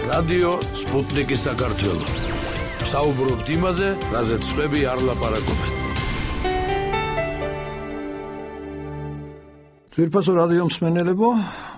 რადიო სპუტნიკი საქართველო. საუბრობთ იმაზე, რაზეც სხვები არ ლაპარაკობენ. ძვირფასო რადიო მსმენელებო,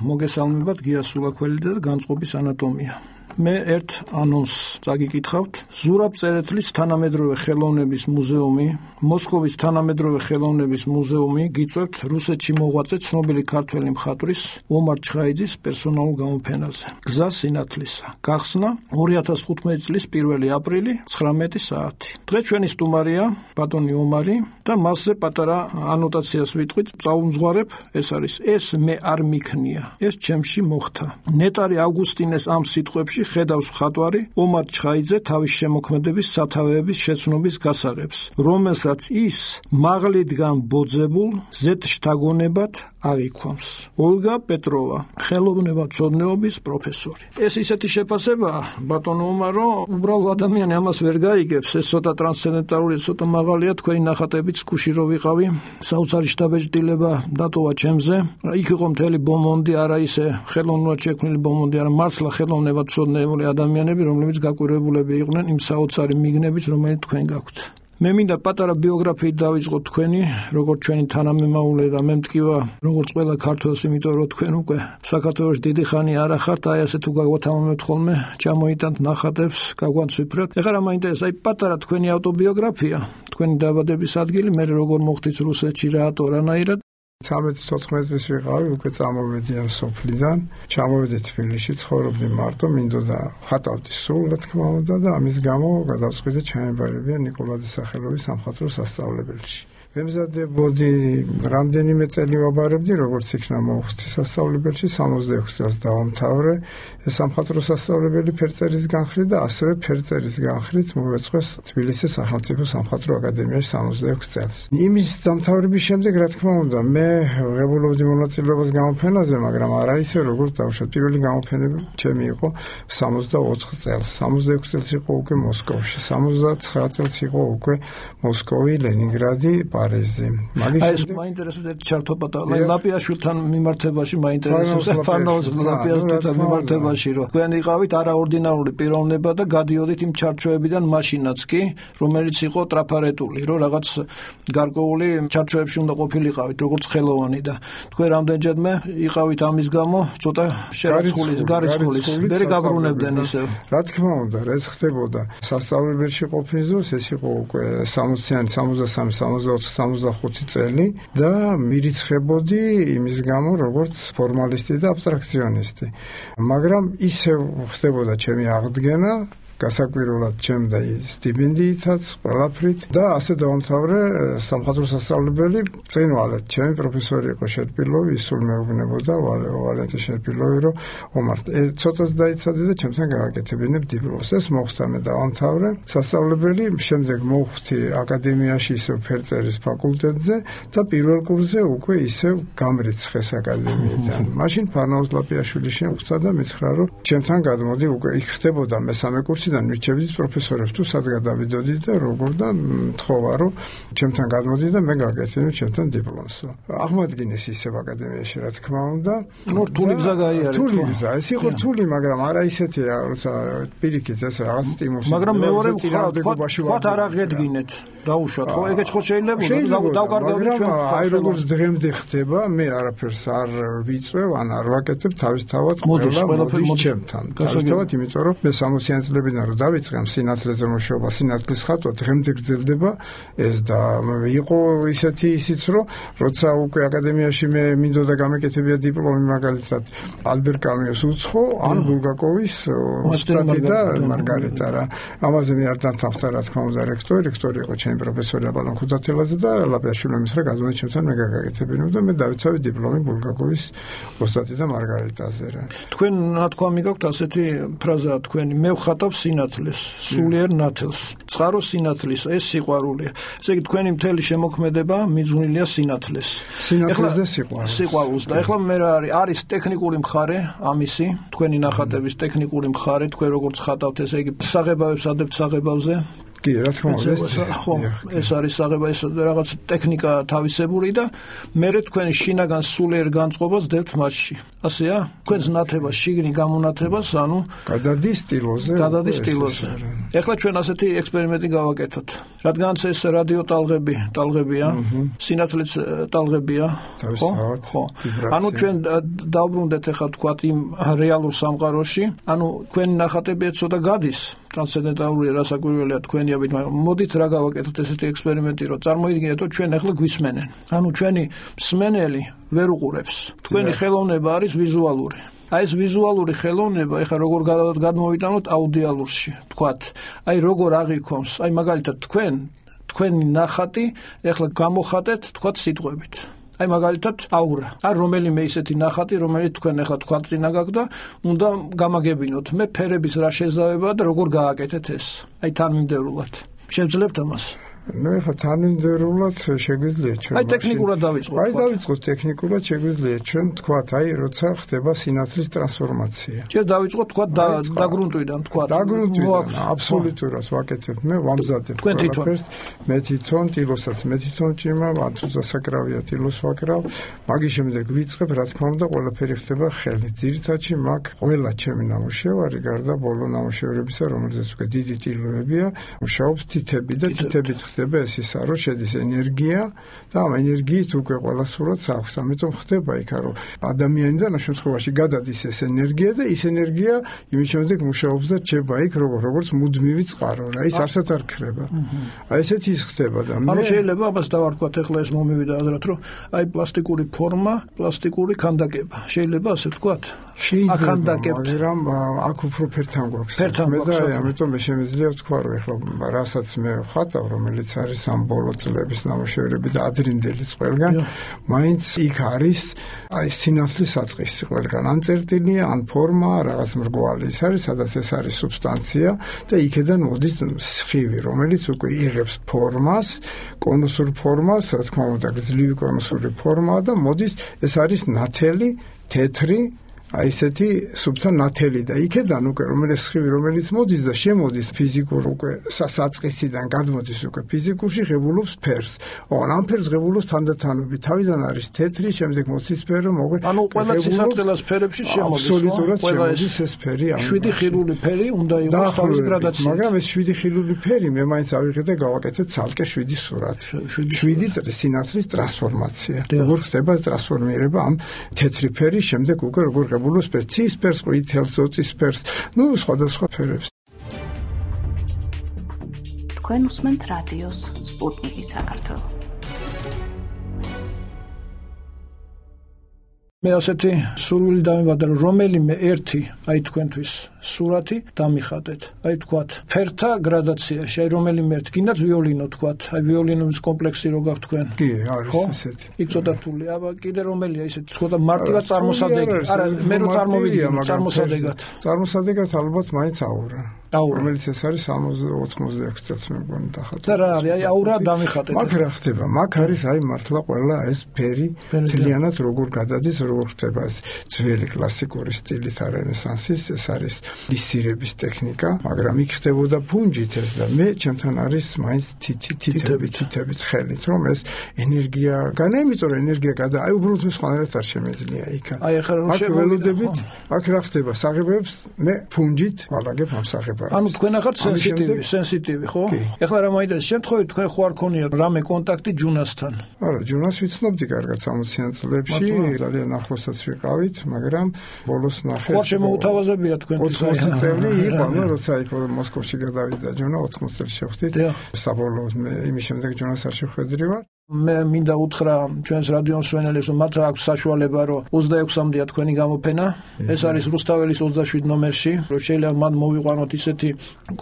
მოგესალმებათ გია სულაქველი და განწყობის ანატომია. მე ერთ ანონსს წაგიკითხავთ. ზურაბ წერეთლის თანამედროვე ხელოვნების მუზეუმი, მოსკოვის თანამედროვე ხელოვნების მუზეუმი გიწევთ რუსეთში მოღვაწე ცნობილი ქართველი მხატვრის ომარ ჩხაიძის პერსონალურ გამოფენაზე. გზა სინათლისა. გახსნა 2015 წლის 1 აპრილი 19 საათი. დღეს ჩვენი სტუმარია ბატონი ომარი და მასზე პატარა ანოტაციას ვიტყვით. წაუმძღვარებ, ეს არის ეს მე არ მიქნია. ეს ჩემში მოხდა. ნეტარი ავგუსტინეს ამ სიტყვებში ხედავს მხატვარი ომარ ჩხაიძე თავის შემოქმედების სათავეების შეცნობის გასაღებს, რომელსაც ის მაღლიდან ბოძებულ ზეთ შთაგონებად აღიქვამს. ოლგა პეტროვა, ხელოვნებაცოდნეობის პროფესორი. ეს ისეთი შეფასებაა, ბატონო ომარო, უბრალოდ ადამიანი ამას ვერ გაიგებს, ეს ცოტა ტრანსცენდენტალური, ცოტა მაღალია, თქვენი ნახატებიც ქუში რო ვიყავი, საოცარი შთაბეჭდილება დატოვა ჩემზე. იქ იყო მთელი ბომონდი, არა ისე ხელოვნურად შექმნილი ბომონდი, არა მართლა ხელოვნებაცოდნეებული ადამიანები, რომლებიც გაკვირვებულები იყვნენ იმ საოცარი მიგნებით, რომელიც თქვენ გაქვთ. მე მინდა პატარა ბიოგრაფიით დავიწყოთ თქვენი, როგორც ჩვენი თანამემამულე და მე მტკივა, როგორც ყველა ქართველს, იმიტომ რომ თქვენ უკვე საქართველოში დიდი ხანი არ ახართ, აი ასე თუ გაგვათამამებთ ხოლმე, ჩამოიტანთ ნახატებს, გაგვანცვიფრეთ. ეხლა რა მაინტერესებს, აი პატარა თქვენი ავტობიოგრაფია, თქვენი დაბადების ადგილი, მე როგორ მოხდით რუსეთში, რატო, რანაირად. 13-14 წლის ვიყავი, უკვე წამოვედი ამ სოფლიდან, ჩამოვედი თბილისში, ცხოვრობდი მარტო, მინდოდა ხატავდი სულ, რა თქმა უნდა, და ამის გამო გადავწყვიტე ჩაემბარებია ნიკოლაძის სახელობის სამხატვრო სასწავლებელში. ვემზადებოდი, რამდენიმე წელი ვაბარებდი, როგორც იქნა მოხდი სასწავლებელში, 66 წელს დავამთავრე სამხატვრო სასწავლებელი ფერწერის განხრით და ასევე ფერწერის განხრით მოვეწყეს თბილისის სახელმწიფო სამხატვრო აკადემიაში 66 წელს. იმის დამთავრების შემდეგ, რა თქმა უნდა, მე ღებულობდი მონაწილეობას გამოფენაზე, მაგრამ არა ისე, როგორც დავუშვათ. პირველი გამოფენები ჩემი იყო 64 წელს. 66 წელს იყო უკვე მოსკოვში, 79 წელს იყო უკვე მოსკოვი, ლენინგრადი, პარიზი. ეს მაინტერესებს ჩართო პატარა ლაპიაშვილთან მიმართებაში მაინტერესებს ფარნაუს ლაპიაშვილთან მიმართებაში, რომ თქვენ იყავით არაორდინარული პიროვნება და გადიოდით იმ ჩარჩოებიდან მაშინაც კი, რომელიც იყო ტრაფარეტული, რომ რაღაც გარკვეული ჩარჩოებში უნდა ყოფილიყავით, როგორც ხელოვანი და თქვენ რამდენჯერმე იყავით ამის გამო ცოტა გარიცხulis, ვერ გაბრუნებდნენ ისევ. რა თქმა უნდა, ეს ხდებოდა სასწავლებელში ყოფნის დროს, ეს იყო უკვე 60-იანი, 63-65 წელი და მირიცხებოდი იმის გამო, როგორც ფორმალისტი და აბსტრაქციონისტი. მაგრამ ისევ ხდებოდა ჩემი აღდგენა, გასაკვირველად ჩემდა სტიპენდიითაც, ყველაფრით და ასე დავამთავრე სამხატვრო სასწავლებელი წინვალეთ. ჩემი პროფესორი იყო შერპილოვი, ის სულ მეუბნებოდა ვალენტე შერპილოვი, რომ ომარ ცოტას დაიცადე და ჩემთან გააკეთებინებ დიპლომს. ეს მოხდა, მე დავამთავრე სასწავლებელი, შემდეგ მოვხვდი აკადემიაში ისევ ფერწერის ფაკულტეტზე და პირველ კურსზე უკვე ისევ გამრიცხეს აკადემიიდან. მაშინ ფარნაუს ლაპიაშვილი შემხვდა და მითხრა, რომ ჩემთან გადმოდი, უკვე იქ ხდებოდა მესამე კურსი და მირჩევდით პროფესორებს თუ სად გადავიდოდი და როგორ და მთხოვა რომ ჩემთან გადმოდი და მე გაგეცინო ჩემთან დიპლომს. აღმადგინეს ისევ აკადემიაში, რა თქმა უნდა. რთული გზა გაიარეთ. რთული გზა, ეს იყო რთული, მაგრამ არა ისეთია, როცა პირიქით ეს რაღაც სტიმულს. მაგრამ მეორე თქვათ არ აღედგინეთ. დაუშვათ, ხო, ეგეც ხო შეიძლება დავკარგავდეთ ჩვენ. აი როგორც დღემდე ხდება, მე არაფერს არ ვიწევ, ან არ ვაკეთებ თავისთავად ყველა ჩემთან. თავისთავად, იმიტომ რომ მე 60-იან წლებიდან რომ დავიწყე სინათლეზე მუშაობა, სინათლის ხატვა დღემდე გრძელდება ეს და იყო ისეთი ისიც, რომ როცა უკვე აკადემიაში მე მინდოდა გამეკეთებია დიპლომი, მაგალითად ალბერ კამიოს უცხო, ან ბულგაკოვის ოსტატი და მარგარიტა რა. ამაზე მე არ დამთავრდა, რა თქმა უნდა, რექტორი იყო ჩემი პროფესორი აბალონ ხუდათელაძე და ლაპიაშვილი მისრა გადმოდი ჩემთან, მე გაგაკეთებინო და მე დავიცავი დიპლომი ბულგაკოვის ოსტატი და მარგარიტაზე რა. თქვენ ნათქვამი გაქვთ ასეთი ფრაზა თქვენი, მე ვხატავ სინათლეს, სულიერ ნათელს, წყარო სინათლის, ეს სიყვარულია. ესე იგი თქვენი მთელი შემოქმედება მიძღვნილია სინათლეს. სინათლეს და სიყვარულს. და ეხლა მე რა არის ტექნიკური მხარე ამისი, თქვენი ნახატების ტექნიკური მხარე, თქვენ როგორც ხატავთ, ესე იგი საღებავებს ადებთ საღებავზე? კი, რა თქმა უნდა, ეს არის აღება, ეს რაღაც ტექნიკა თავისებური და მერე თქვენი შინაგან სულიერ განწყობას დებთ მასში. ასეა? თქვენს ნათებას, შიგნი გამონათებას, ანუ გადადის სტილოზე. ეხლა ჩვენ ასეთი ექსპერიმენტი გავაკეთოთ. რადგანაც ეს რადიო ტალღებია, სინათლეც ტალღებია, ხო? ანუ ჩვენ დავბრუნდეთ ეხლა თქვათ იმ რეალურ სამყაროში, ანუ თქვენი ნახატები ცოტა გადის ტრანსცენდენტალური რასაკვირველია თქვენიებით, მაგრამ მოდით რა გავაკეთოთ ესეთი ექსპერიმენტი, რომ წარმოიდგინეთ, რომ ჩვენ ახლა გვისმენენ. ანუ ჩვენი მსმენელი ვერ უყურებს. თქვენი ხელოვნება არის ვიზუალური. აი ეს ვიზუალური ხელოვნება, ეხლა როგორ გადმოვიტანოთ აუდიალურში, თქვათ. აი როგორ აღიქონს, აი მაგალითად თქვენი ნახატი ეხლა გამოხატეთ, თქვათ სიტყვებით. აი მაგალითად აურა. არ რომელიმე ისეთი ნახატი, რომელიც თქვენ ახლა თქვათ წინა გაქვთ და უნდა გამაგებინოთ. მე ფერების რა შეზავება და როგორ გააკეთეთ ეს. აი თანმიმდევრულად. შევძლებთ ამას? ნუ ეხლა თანმიმდევრულად შეგვიძლია ჩვენ. აი ტექნიკურად დავიწყოთ. აი დავიწყოთ ტექნიკურად შეგვიძლია ჩვენ თქვათ, აი როცა ხდება სინათლის ტრანსფორმაცია. ჯერ დავიწყოთ თქვათ დაგრუნტვიდან თქვათ. დაგრუნტვიდან აბსოლუტურად ვაკეთებ. მე ვამზადებ ყველაფერს. მე თვითონ ტილოსაც, მე თვითონ ჭიმა, თუ დასაკრავია ტილოს ვაკრავ. მაგის შემდეგ ვიწყებ, რა თქმა უნდა, ყველაფერი ხდება ხელით. ძირითადში მაგ ყველა ჩემი ნამუშევარი, გარდა ბოლო ნამუშევრებისა, რომელზეც უკვე დიდი ტილოებია, მუშაობს თითები და თითებით ხდება ეს ისა, რომ შედის ენერგია და ამ ენერგიით უკვე ყველა სურათს აქვს. ამიტომ ხდება იქ, რომ ადამიანიდან ამ შემთხვევაში გადადის ეს ენერგია და ის ენერგია იმის შემდეგ მუშაობს და რჩება იქ როგორც მუდმივი წყარო. რა ის არსად არ ქრება. აი ესეთი ის ხდება და ანუ შეიძლება ამას დავარქვათ ახლა ეს მომივიდა ადრად, რომ აი პლასტიკური ფორმა, პლასტიკური ქანდაკება. შეიძლება ასე ვთქვათ? მაგრამ აქ უფრო ფერთან გვაქვს. მე და ამიტომ მე შემიძლია ვთქვა, რომ ახლა რასაც მე ვხატავ, რომელიც არის ამ ბოლო წლების ნამუშევრები და ადრინდელი ყველგან, მაინც იქ არის აი სინათლის საწყისი ყველგან. ან წერტილია, ან ფორმა, რაღაც მრგვალი ის არის, სადაც ეს არის სუბსტანცია და იქედან მოდის სხივი, რომელიც უკვე იღებს ფორმას, კონუსურ ფორმას, რა თქმა უნდა, გძლივი კონუსური ფორმაა და მოდის ეს არის ნათელი, თეთრი აი ესეთი სუბთა ნათელი და იქედან უკვე რომელიც სხივი რომელიც მოდის და შემოდის ფიზიკურ უკვე საწყისიდან გადმოდის უკვე ფიზიკურში ღებულობს ფერს. ამ ფერს ღებულობს თანდათანობით. თავიდან არის თეთრი, შემდეგ მოცისფერო, მოგე. ანუ ყველა ცისარტყელას ფერებში შემოდის. აბსოლუტურად შემოდის ეს ფერი. 7 ხილული ფერი უნდა იყოს თავის გრადაციით. მაგრამ ეს 7 ხილული ფერი მე მაინც ავიღე და გავაკეთე ცალკე 7 სურათი. 7 სინათლის ტრანსფორმაცია. როგორ ხდება ტრანსფორმირება ამ თეთრი ფერის შემდეგ უკვე როგორ ცისფერს, ყვითელს, ოცისფერს, ნუ სხვადასხვა ფერებს. თქვენ უსმენთ რადიოს სპუტნიკი საქართველო. მე ასეთი სურვილი დამიბადა, რომ რომელიმე ერთი აი თქვენთვის სურათი დამიხატეთ. აი თქვათ, ფერთა გრადაციაში, აი რომელიმე ერთი, გინდათ ვიოლინო თქვათ, აი ვიოლინოს კომპლექსი რო გაქვთ თქვენ. კი, არის ესეთი. იქ ცოტა რთული, აბა კიდე რომელია ისეთი, ცოტა მარტივად წარმოსადეგი. არა, მე რო წარმოვიდგინე, წარმოსადეგად. წარმოსადეგად ალბათ მაინც აურა. რომელიც ეს არის 86 წელს მე მგონი დახატა. და რა არის, აი აურა დამიხატეთ. მაგ რა ხდება? მაგ არის აი მართლა ყველა ეს ფერი თლიანად როგორ გადადის, როგორ ხდება ეს ძველი კლასიკური სტილით რენესანსის, ეს არის ლისირების ტექნიკა, მაგრამ იქ ხდებოდა ფუნჯით ეს და მე ჩემთან არის მაინც თითებით ხელით, რომ ეს ენერგია განაიმიწო, რომ ენერგია გადა, აი უბრალოდ მე სხვანაირად არ შემეძლია იქ. აი ახლა რომ შეველოდებით, აქ რა ხდება? საღებებს მე ფუნჯით ვალაგებ ამ საღებებს. ანუ თქვენ ახალ სენსიტივი, ხო? ეხლა რა მაინტერესებს, შემთხვევით თქვენ ხო არ ქონია რამე კონტაქტი ჯუნასთან? არა, ჯუნას ვიცნობდი კარგად 60-იან წლებში, ძალიან ახლოსაც ვიყავით, მაგრამ ბოლოს ნახე. ხო შემოუთავაზებია თქვენთვის 80 წელი იყო, ანუ როცა იქ მოსკოვში გადავიდა ჯუნა 80 წელს შევხვდით. საბოლოოდ მე იმის შემდეგ ჯუნას არ შევხვედრი ვარ. მე მინდა უთხრა ჩვენს რადიო მსმენელებს, რომ მათ აქვს საშუალება, რომ 26-მდეა თქვენი გამოფენა. ეს არის რუსთაველის 27 ნომერში, რომ შეიძლება მან მოვიყვანოთ ისეთი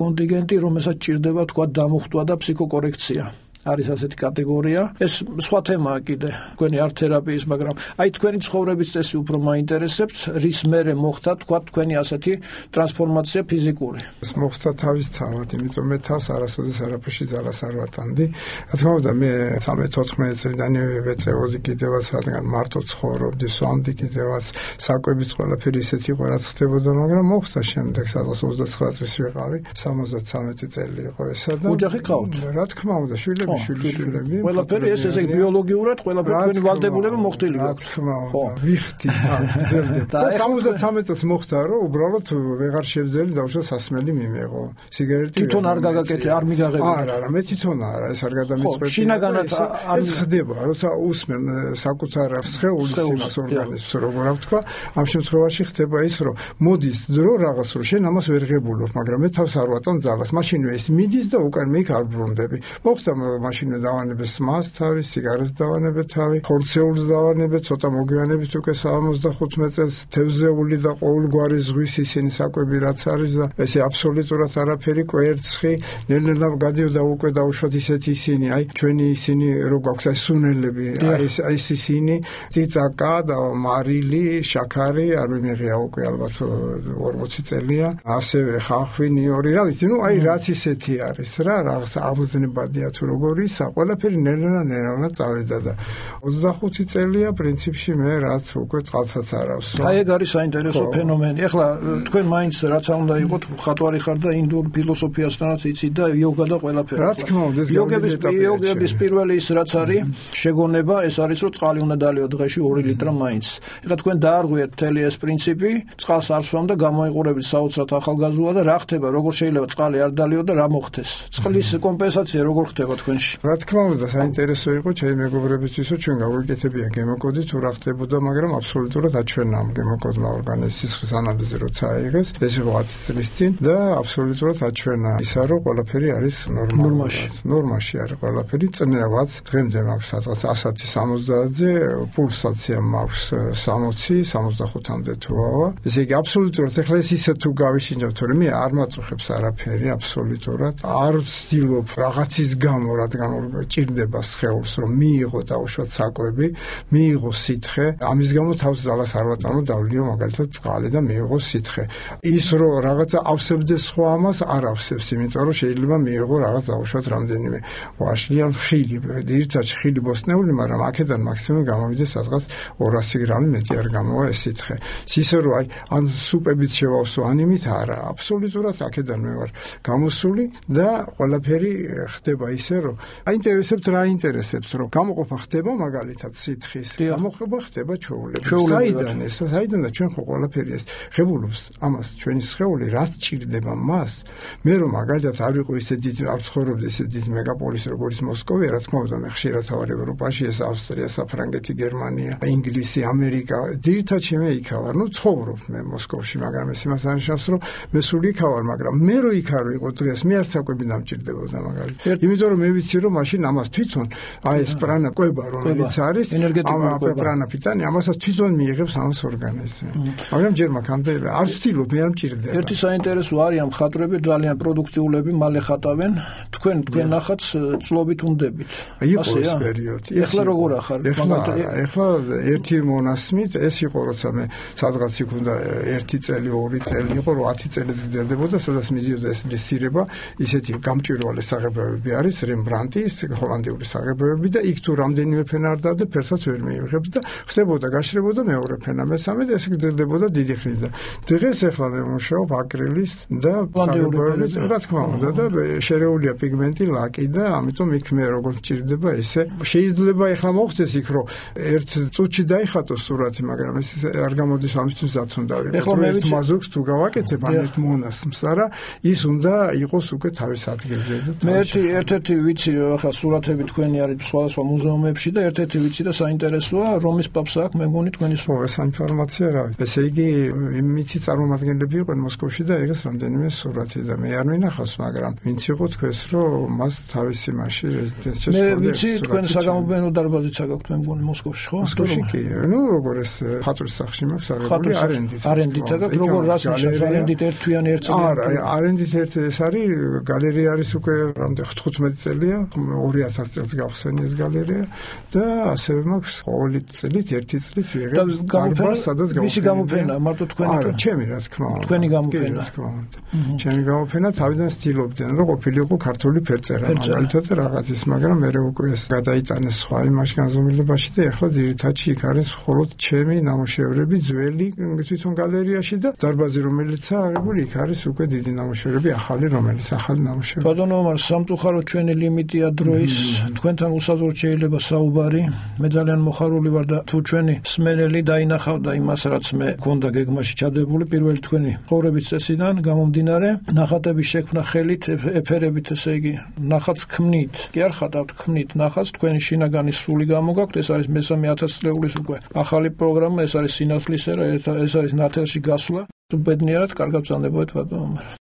კონტინგენტი, რომელსაც ჭირდება თქვა დამუხტვა და ფსიქოკორექცია. არის ასეთი კატეგორია. ეს სხვა თემაა კიდე, თქვენი ართ-თერაპიის, მაგრამ აი თქვენი ცხოვრების წესი უფრო მაინტერესებთ, რის მერე მოხდა თქვა თქვენი ასეთი ტრანსფორმაცია ფიზიკური. ეს მოხდა თავისთავად, იმიტომ მე თავს არასოდეს არაფერში ძალას არ ვატანდი. რა თქმა უნდა, მე 13-14 წლიდან ვეწეოდი კიდევაც, რადგან მარტო ცხოვრობდი, სვამდი კიდევაც, საკვებიც ყველაფერი ისეთი იყო, რაც ხდებოდა, მაგრამ მოხდა შემდეგ, სადღაც 29 წლის ვიყავი, 73 წელი იყო ესა და ოჯახი ყავთ? რა თქმა უნდა, შვილები. ყველაფერი ესე ბიოლოგიურად ყველაფერი თქვენი ვალდებულება მოხდილი რა თქმა უნდა ვიხდი და 73 წელს მოხდა რომ უბრალოდ ვეღარ შევძელი დავშვა სასმელი მიმეღო სიგარეტი თვითონ არ გაგაკეთე არ მიგაღებია არა მე თვითონ არა ეს არ გადამიწყვეტია შინაგანად ეს ხდება როცა უსმენ საკუთარ სხეულის იმას ორგანიზმს როგორ ვთქვა ამ შემთხვევაში ხდება ის რომ მოდის დრო რაღაც რომ შენ ამას ვერ ღებულობ მაგრამ მე თავს არ ვატან ძალას მაშინვე ეს მიდის და უკან მე იქ არ ბრუნდები მოხდა მაშინვე დავანებე სმას თავი, სიგარეტს დავანებე თავი, ხორცეულს დავანებე, ცოტა მოგვიანებით უკვე 75 წელს თევზეული და ყოველგვარი ზღვის ისინი საკვები რაც არის და ესე აბსოლუტურად არაფერი კვერცხი, ნელ-ნელა გადიოდა უკვე დაუშვათ ისეთი ისინი, აი ჩვენი ისინი რო გვაქვს აი სუნელები, აი ეს ისინი, ციცაკა და მარილი, შაქარი, არ მიმიღია უკვე ალბათ 40 წელია, ასევე ხახვი, ნიორი, რა ვიცი, ნუ აი რაც ისეთი არის რა, რაღაც აღზნებადია თუ როგორი ყველაფერი ნელა წავიდა და 25 წელია პრინციპში მე რაც უკვე წყალსაც არ ავსო. აი ეგ არის საინტერესო ფენომენი. ეხლა თქვენ მაინც რაც უნდა იყოთ მხატვარი ხარ და ინდურ ფილოსოფიასთანაც იცით და იოგა და ყველაფერი. რა თქმა უნდა ეს იოგების პირველი ის რაც არის შეგონება ეს არის რომ წყალი უნდა დალიო დღეში 2 ლიტრა მაინც. ეხლა თქვენ დაარღვიეთ მთელი ეს პრინციპი, წყალს არ სვამ და გამოიყურებით საოცრად ახალგაზრდა და რა ხდება, როგორ შეიძლება წყალი არ დალიო და რა მოხდეს? წყლის კომპენსაცია როგორ ხდება თქვენში? რა თქმა უნდა საინტერესო იყო ჩემი მეგობრებისთვის რომ ჩვენ გავუკეთებია გემოკოდი თუ რა ხდებოდა მაგრამ აბსოლუტურად აჩვენა ამ გემოკოდმა ორგანიზმის სისხლის ანალიზი როცა აიღეს ეს იყო 10 წლის წინ და აბსოლუტურად აჩვენა ისა რომ ყველაფერი არის ნორმაში არის ყველაფერი წნევაც დღემდე მაქვს სადღაც 160-ზე პულსაცია მაქვს 60 65-მდე თუავა ესე იგი აბსოლუტურად ეხლა ეს ისე თუ გავიშინჯავ თორემ მე არ მაწუხებს არაფერი აბსოლუტურად არ ვცდილობ რაღაცის გამო რადგან ჭირდება სხეულს რომ მიიღო დაუშვათ საკვები, მიიღო სითხე, ამის გამო თავს ძალას არ ვატანო დავლიო მაგალითად წყალი და მიიღო სითხე. ის რომ რაღაცა ავსებდეს სხვა ამას არ ავსებს, იმიტომ რომ შეიძლება მიიღო რაღაც დაუშვათ რამდენიმე ვაშლიან ხილი, ძირცაც ხილი ბოსტნეული, მაგრამ აქედან მაქსიმუმ გამოვიდეს სადღაც 200 გრამი მეტი არ გამოვა ეს სითხე. ისე რომ აი ან სუპებით შევავსო ანიმით არა, აბსოლუტურად აქედან მე ვარ გამოსული და ყველაფერი ხდება ისე რომ აინტერესებთ რა ინტერესებს რომ გამოყოფა ხდება მაგალითად სითხის გამოყოფა ხდება ჩვეულებრივ საიდან და ჩვენ ხო ყველაფერი ეს ღებულობს ამას ჩვენი სხეული რაც ჭირდება მას მე რომ მაგალითად არ ვიყო ისე დიდი არ ცხოვრობდი ისე დიდი მეგაპოლისი როგორც მოსკოვი რა თქმა უნდა მე ხშირად ვარ ევროპაში ეს ავსტრია საფრანგეთი გერმანია ინგლისი ამერიკა ძირითადად მე იქ ვარ ნუ ცხოვრობ მე მოსკოვში მაგრამ ეს იმას ანიშნავს რომ მე სულ იქ ვარ მაგრამ მე რო იქ არ ვიყო დღეს მე არც საკვები დამჭირდებოდა მაგალითად იმიტომ რომ მე ვიცი რომ მაშინ ამას თვითონ აი ეს პრანა კვება რომელიც არის ამ პრანა პიტანი ამასაც თვითონ მიიღებს ამას ორგანიზმი მაგრამ ჯერ მაგამდე არ ვცდილობ მე არ მჭირდება ერთი საინტერესო არის ამ ხატრები ძალიან პროდუქტიულები მალე ხატავენ თქვენ ნახატს წლობით უნდებით იყო ეს პერიოდი ეხლა როგორ ახარ ეხლა ერთი მონასმით ეს იყო როცა მე სადღაც იქ უნდა 1 წელი 2 წელი იყო რომ 10 წელიც გრძელდებოდა სადაც მიდიოდა ეს ლისირება ისეთი გამჭვირვალე საღებავები არის რემბრანტის ჰოლანდიური საღებავები და იქ თუ რამდენიმე ფენა არ დაადე ფერსაც ვერ მიიღებს და ხდებოდა გაშრებოდა მეორე ფენა მესამე და ეს გრძელდებოდა დიდი ხნით და დღეს ახლა მე მუშაობ აკრილის და საღებავებით რა თქმა უნდა და შერეულია პიგმენტი ლაკი და ამიტომ იქ მე როგორ ჭირდება ესე შეიძლება ახლა მოხდეს იქ რომ ერთ წუთში დაიხატო სურათი მაგრამ ეს არ გამოდის ამისთვის რაც უნდა ვიყო ერთ მაზოქს თუ გავაკეთებ ან ერთ მონასმს არა ის უნდა იყოს უკვე თავის ადგილზე და მე ერთ-ერთი ვიცი ახლა სურათები თქვენი არის სხვადასხვა მუზეუმებში და ერთ-ერთი ვიცი და საინტერესოა რომის პაპს აქვს მე მგონი თქვენი ეს ინფორმაცია რა ესე იგი მიცი წარმომადგენლები იყვნენ მოსკოვში და ეგეს რამდენიმე სურათი და მე არ მინახავს მაგრამ ვინც იყო თქვენს რომ მას თავისი მასში რეზიდენციაში მე ვიცი თქვენ საგამოფენო დარბაზიც აქვს მე მგონი მოსკოვში ხო მოსკოვში კი ნუ როგორ ეს ხატვის სახში მაქვს აღებული არენდით აქვს როგორ რას ნიშნავს არენდით ერთვიანი ერთ წელი არა არენდით ერთ ეს არის გალერეა არის უკვე რამდენი 15 წელი გალერეა, 2000 წელს გავხსენი ეს გალერეა და ასევე მაქვს ყოველი წლით ერთი წლით ვიღებ დარბაზს, სადაც ვისი გამოფენა, მარტო თქვენი? არა, ჩემი რა თქმა უნდა. თქვენი გამოფენა. ჩემი გამოფენა თავიდან ცდილობდნენ, რომ ყოფილიყო ქართული ფერწერა, მაგალითად რაღაც ის, მაგრამ მე უკვე ეს გადაიტანეს სხვა იმაში განზომილებაში და ეხლა ძირითადში იქ არის მხოლოდ ჩემი ნამუშევრები ძველი თვითონ გალერეაში და დარბაზი რომელიცაა აღებული, იქ არის უკვე დიდი ნამუშევრები, ახალი ნამუშევრები. ბატონო, მაგრამ სამწუხაროდ ჩვენი ლიმიტია დროის, თქვენთან უსაზღვროდ შეიძლება საუბარი. მე ძალიან მოხარული ვარ და თუ ჩვენი სმენელი დაინახავდა იმას, რაც მე მქონდა გეგმაში ჩადებული პირველი თქვენი ხოვრების წესიდან გამომდინარე, ნახატების შექმნა ხელით, ეფერებით, ესე იგი, ნახატს ქმნით. კი არ ხატავთ, ქმნით ნახატს, თქვენი შინაგანი სული გამოგაქვთ, ეს არის მესამე 1000 წლეულის უკვე ახალი პროგრამა, ეს არის სინათლის ერა, ეს არის ნათელში გასვლა. ბედნიერად კარგად ვწანდებოდეთ ბატონო.